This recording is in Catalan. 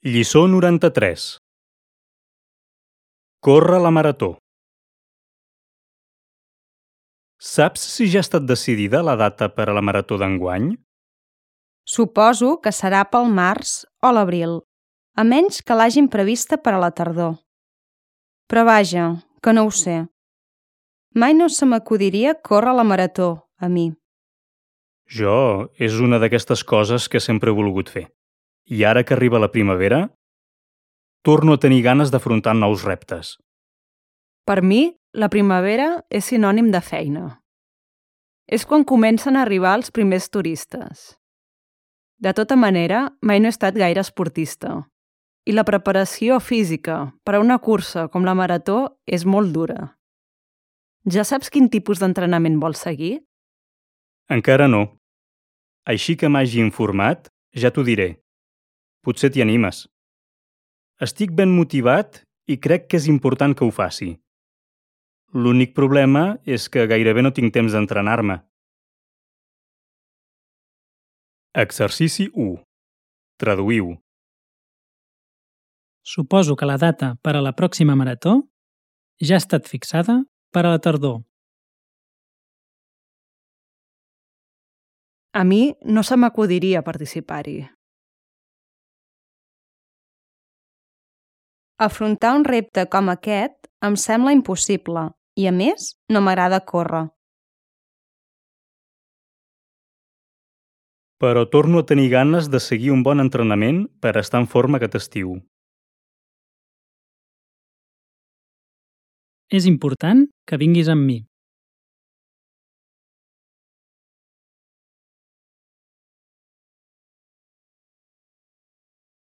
Lliçó 93. Córrer la marató. Saps si ja ha estat decidida la data per a la marató d'enguany? Suposo que serà pel març o l'abril, a menys que l'hagin prevista per a la tardor. Però vaja, que no ho sé. Mai no se m'acudiria córrer la marató, a mi. Jo, és una d'aquestes coses que sempre he volgut fer. I ara que arriba la primavera, torno a tenir ganes d'afrontar nous reptes. Per mi, la primavera és sinònim de feina. És quan comencen a arribar els primers turistes. De tota manera, mai no he estat gaire esportista. I la preparació física per a una cursa com la marató és molt dura. Ja saps quin tipus d'entrenament vols seguir? Encara no. Així que m'hagi informat, ja t'ho diré. Potser t'hi animes. Estic ben motivat i crec que és important que ho faci. L'únic problema és que gairebé no tinc temps d'entrenar-me. Exercici 1. Traduïu. Suposo que la data per a la pròxima marató ja ha estat fixada per a la tardor. A mi no se m'acudiria participar-hi. Afrontar un repte com aquest em sembla impossible i, a més, no m'agrada córrer. Però torno a tenir ganes de seguir un bon entrenament per estar en forma aquest estiu. És important que vinguis amb mi.